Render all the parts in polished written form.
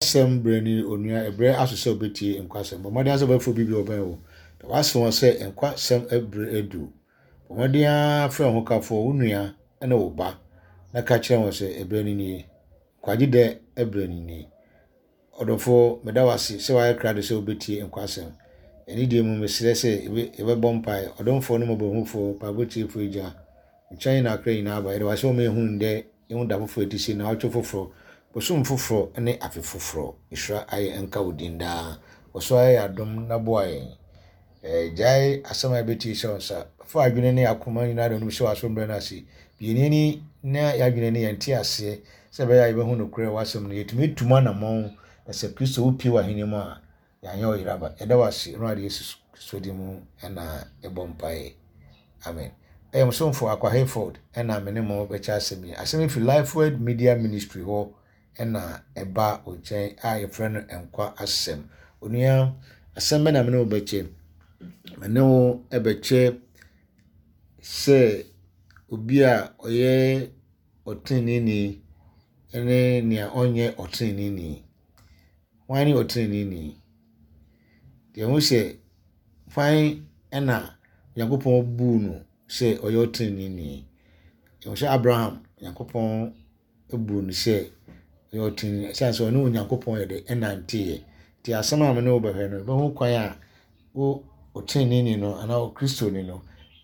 Asɛm berɛ ni onua, ɛberɛ aso sɛ wobɛtie nkwa asɛm. Bɔ mmɔden ara sɛ wobɛfrɛ obi bi a ɔbɛn wo, na woase wɔn sɛ nkwa asɛm berɛ adu. Bɔ mmɔden ara frɛ wo hokafoɔ, wo nua ne wo ba, na ka kyerɛ wɔn sɛ ɛberɛ no nie, nkwagye dɛ berɛ no nie. Ɔdɔfoɔ, meda wo ase sɛ woayɛ krado sɛ wobɛtie nkwa asɛm. Anidie mu, mesrɛ sɛ yɛbɛbɔ mpaeɛ. Ɔdomfoɔ ne mmɔborɔhunufoɔ, mpaebɔ tiefoɔ Agya, nkyɛn na akra nyinaa aba. Yɛda wo ase sɛ woma yɛhunu ndɛ Yɛhu da foforɔ a ɛte sei, naawɔtwe foforɔ, bosom foforɔ ne afe foforɔ. Nhyira ayɛ nka wo din daa. Kɔ so ara yɛ adom na boa yɛn. Gyae asɛm a yɛbɛtie hyɛ wo nsa. Fa adwene ne akoma nyinaa de onim hyɛ w'aso mbrɛ no ase. Bue yɛn ani na yɛadwene ne yɛn nteaseɛ sɛ ɛbɛyɛ a yɛbɛhu nokorɛ wɔ w'asɛm no. Yɛtumi atu mu anammɔn na sɛ Kristo wopue w'ahenni mu a, Yɛanyɛ ɔyera ba. Yɛda wo ase Awurade Yesu Kristo din mu na yɛbɔ mpaeɛ. Amen. Ɛyɛ mo somfo Akwa Hayford na me ne mo bɛkyɛ asɛm yi. Asɛm yi firi Lifeword Media Ministry hɔ na ɛba wo nkyɛn a yɛfrɛ no Nkwa Asɛm. Onua, asɛm bɛ na me ne wo bɛkyɛ? Me ne wo bɛkyɛ sɛ obi a ɔyɛ ɔteneneeni ne nea ɔnyɛ ɔteneneeni. Hwan ne ɔteneneeni? Deɛ ɛho sɛ hwan na Onyankopɔn buu no sɛ ɔyɛ ɔteneneeni? Ɛho sɛ Abraham, Onyankopɔn buu no sɛ ɔyɛ ɔteneneeni ɛsiane sɛ ɔne Onyankopɔn yɛ de ɛnanteeɛ. Nti asɛm a me ne wo bɛhwɛ no, yɛbɛhu kwan a wo ɔteneneeni no anaa Okristoni no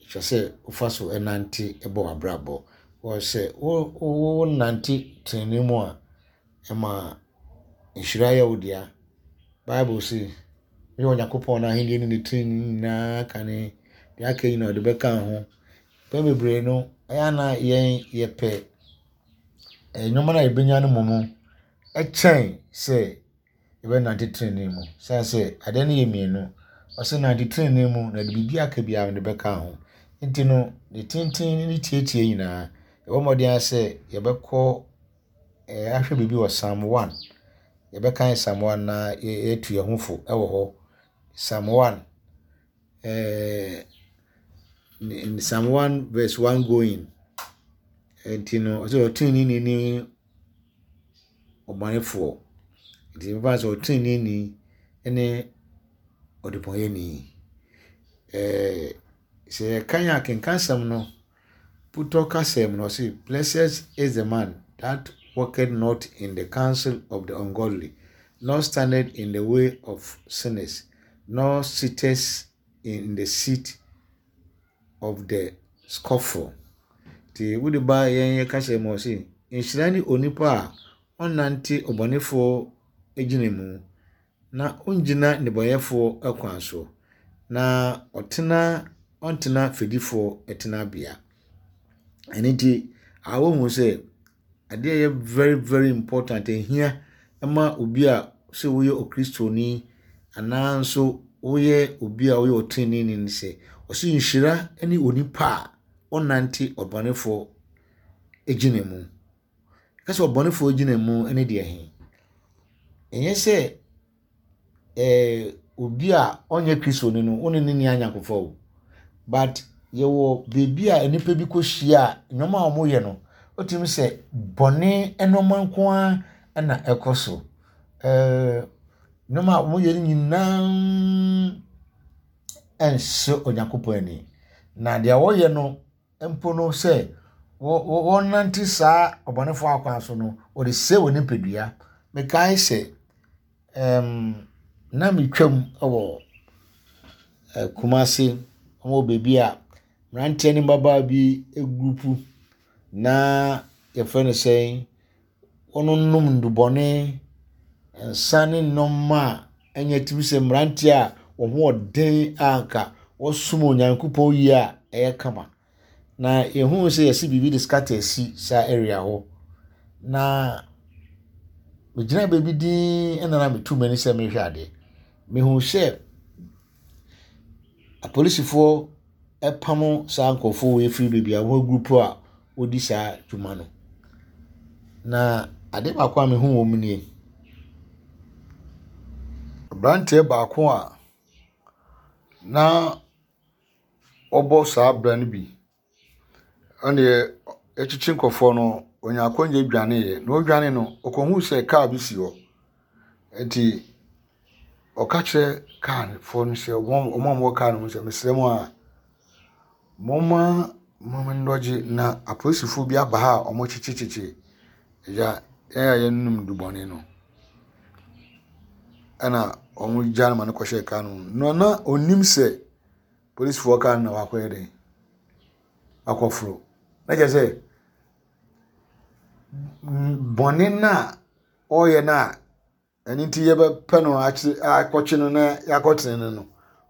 ɛsɛ sɛ wofa so nante bɔ w'abrabɔ. Wɔ sɛ wo wonante tenenee mu a, ɛma nhyira yɛ wo dea. Bible se, Hwehwɛ Onyankopɔn n'ahenni ne ne trenee nyinaa kane, deɛ aka nyinaa ɔde bɛka ho. Mpɛn bebree no, ɛyɛ a na yɛn yɛpɛ nneɛma no a yɛbɛnya no mmom kyɛn sɛ yɛbɛnante trenee mu. Sane sɛ adeɛ no yɛ mmienu. Ɔse nante trenee mu na de biribi aka biara mede bɛka ho. Nti no, ne tenten ne ne tietie nyinaa, yɛbɔ mmɔden ara sɛ yɛbɛkɔ ahwɛ biribi wɔ Psalm 1. Yɛbɛkan Psalm 1 na yɛatu yɛn ho fo wɔ hɔ. Psalm 1, eh, Psalm 1 verse 1 going. Nti no, ɔsɛ ɔteneneeni ne ɔbɔnefoɔ. Nti mfa sɛ ɔteneneeni ne ɔdebɔneyɛni. Eh, sɛ yɛkan akenkansɛm no, Putɔ kasa mu no, ɔse, Blessed is the man that walketh not in the counsel of the ungodly, nor standeth in the way of sinners, nor sitteth in the seat of the scoffle. Nti wode ba yɛn yɛ kasa mu ɔse, nhyira ne onipa a ɔnnante ɔbɔnefoɔ gyina mu, na ɔnnyina nnebɔneyɛfoɔ kwan so, na ɔtena ɔntena fɛdifoɔ tenabea. Ɛno nti, wohu sɛ adeɛ a ɛyɛ very very important ɛhia ma obi a sɛ woyɛ okristoni anaa nso woyɛ obi a woyɛ ɔteneneeni ne sɛ, ɔse nhyira ne onipa a ɔnnante ɔbɔnefoɔ gyina mu. Ka sɛ ɔbɔnefoɔ gyina mu ne deɛ he? Ɛnyɛ sɛ ɛɛ obi a ɔnyɛ Kristoni no, wo ne no nni ayɔnkofa o. But yɛwɔ baabi a nnipa bi kɔhyia a, nneɛma a wɔyɛ no, wotumi sɛ bɔne nneɛma nko ara na ɛkɔ so. Ɛɛ nneɛma a wɔyɛ no nyinaa ɛnsɔ Onyankopɔn ani. Na deɛ wɔyɛ no, mpo no sɛ wɔnante saa ɔbɔnefoɔ akwan so no, wɔde sɛe wɔn nipadua. Mekae sɛ ɛɛm na metwam wɔ Kumasi wɔ baabi a mmeranteɛ ne mmabaawa bi group na wɔfrɛ no sɛn, wɔnonom nnubɔne, nsa ne nneɛma a ɛnyɛ te sɛ mmeranteɛ a wɔn ho yɛ den a anka wɔsom Onyankopɔn yie a ɛyɛ kama. Na yɛhuu sɛ yɛasi biribi de scatter asi saa area hɔ. Na megyinaa baabi dinn ɛna na metu m'ani sɛ merehwɛ adeɛ. Mehuu sɛ apolisifoɔ repamo saa nkurɔfoɔ wei firi baabi a wɔagurupu a wɔredi saa dwuma no. Na adeɛ baako a mehu wɔ mu nie. Aberanteɛ baako a na ɔbɔ saa bra no bi, ɛnneɛ ɛkyekye nkurɔfoɔ no, ɔnyaa akwannya dwaneeɛ. Na ɔredwane no, ɔkɔhuu sɛ kaa bi si hɔ. Nti ɔka kyerɛ kaa foɔ no sɛ wɔn a wɔwɔ kaa no mu sɛ mesrɛ mo a momma mo nnɔgye na apolisifoɔ bi aba ha a wɔkyekyekyekye agya yɛn a yɛnom nnubɔne no. Ɛna wɔgyaa no ma no kɔhyɛɛ kaa no mu. Na na ɔnnim sɛ polisifoɔ kaa no na wakɔyɛ dɛn akɔforo. Na kyerɛ sɛ bɔne no a ɔreyɛ no a ɛno nti yɛbɛpɛ no akye akɔkye no na yɛakɔtene no no,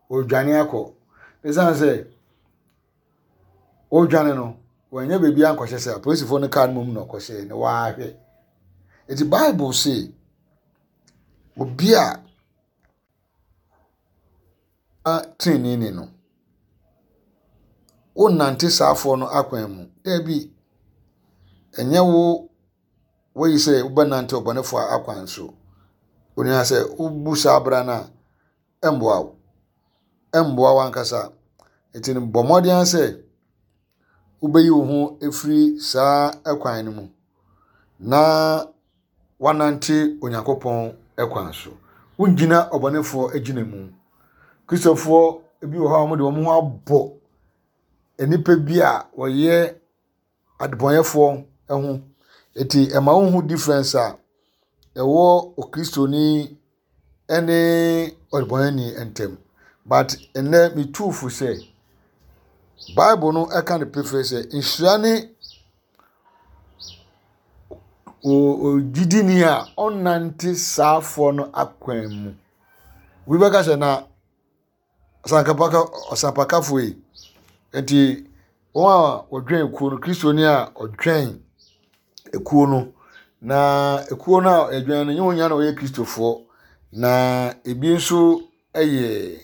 ɔredwane akɔ. Ɛsiane sɛ ɔredwane no, wanya baabi ankɔhyɛ sɛ apolisifoɔ no kaa no mmom na ɔkɔhyɛɛ na wahwɛ. Nti Bible se obi a teneneeni no, wonnante saafoɔ no akwan mu. Dabi, ɛnyɛ wo woyi sɛ wobɛnante ɔbɔnefoɔ akwan so. Onua sɛ wobu saa bra no a, ɛmmoa wo. Ɛmmoa w'ankasa. Nti no bɔ mmɔden ara sɛ wobɛyi wo ho afiri saa kwan no mu na woanante Onyankopɔn kwan so. Wongyina ɔbɔnefoɔ agyina mu. Kristofoɔ bi wɔ hɔ a wɔde wɔn ho abɔ nnipa bi a wɔyɛ adebɔnyɛfoɔ ho. Enti ɛma wohu difference a ɛwɔ okristoni ne ɔdebɔnyɛni ntam. But ɛnnɛ metu fo sɛ Bible no ɛka no pefee sɛ nhyira ne ogyidini a ɔnnante saafoɔ no akwan mu. Obi bɛka sɛ na ɔsankapaka ɔsampakafo yi nti wɔn a wɔdwɛn kuo no kristoni a ɔdwɛn ekuo no na ekuo no a ɛdwɛn no nyɛ wɔn nyinaa na wɔyɛ kristofoɔ na ebi nso yɛ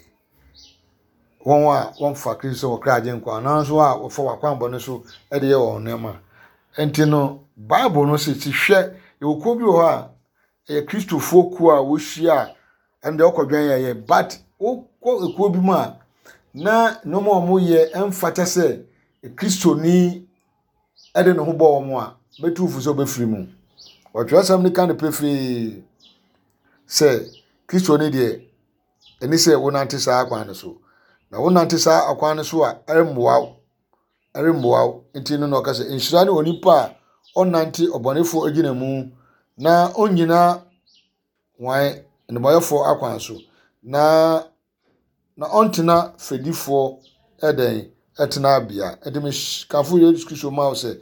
wɔn a wɔmfa kristo sɛ wɔn kra agyenkwa anaa nso a wɔfa wɔn akwammɔne so de yɛ wɔn nneɛma nti no bible no sɛ ti hwɛ yɛwɔ kuo bi wɔ hɔ a ɛyɛ kristofoɔ kuo a wɔhyia a ɛno deɛ wokɔdwɛn yɛ yɛ but wokɔ ekuo bi mu a na nneɛma a wɔyɛ ɛmfata sɛ kristoni de ne ho bɔ wɔn a mɛtu fo sɛ wobɛfiri mu. Ɔtwerɛsɛm no ka no pefee sɛ kristoni deɛ ɛni sɛ wonante saa akwan no so. Na wonante saa akwan no so a ɛremmoa wo ɛremmoa wo. Nti no na ɔka sɛ nhyira ne onipa a ɔnnante ɔbɔnefoɔ agyina mu na ɔnnyina wɔn nnebɔneyɛfoɔ akwan so na na ɔntena fɛdifoɔ ɛdɛn ɛtenabea. Ɛnti mekamfo Yesu Kristo ma wo sɛ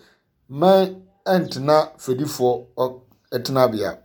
mɛn ɛntena fɛdifoɔ ɛtenabea.